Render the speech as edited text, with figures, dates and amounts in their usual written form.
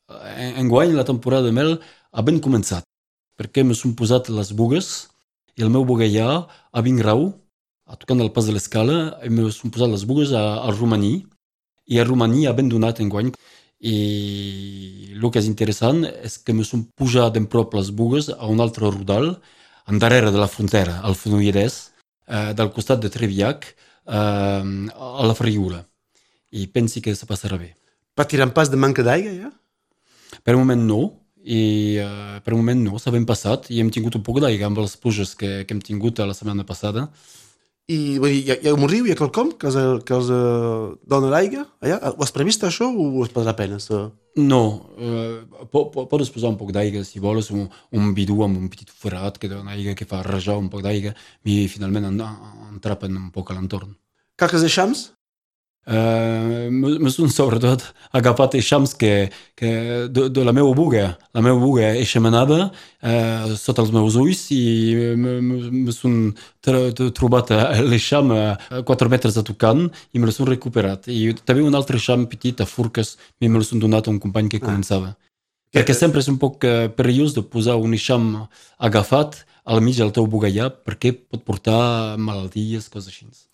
Enguany la temporada de mel ha ben començat, perquè me són posat les bugues i el meu bugallà a 20 grau, a tocant el pas de l'escala, i me són posat les bugues al romaní, i el romaní ha ben donat enguany. I el que és interessant és que me són pujat ben prop les bugues a un altre rodal, endarrere de la frontera, al Fenolledès, del costat de Trevillac, a la Ferriula. I pensi que se passarà bé. Va tirar pas de manca d'aigua, ja? Per un moment no, i per un moment no, s'ha ben passat i hem tingut un poc d'aigua amb les pluges que hem tingut la setmana passada. I vull dir, hi ha un riu, hi ha quelcom que els dona l'aigua? Allà? Ho has previst això o es podrà penes? No, pots posar un poc d'aigua si vols, un bidó amb un petit forat que dona aigua, que fa rajar un poc d'aigua, i finalment entrapen un poc a l'entorn. Caques de xams? Me són sobretot agafat eixams que de la meva buga. La meva buga és xemenada sota els meus ulls i me són trobat l'eixam a 4 metres de tocant i me l'he recuperat. I també un altre eixam petit a Furques me l'he donat a un company que començava. Perquè sempre és un poc perillós de posar un eixam agafat al mig del teu bugallà perquè pot portar malalties, coses així.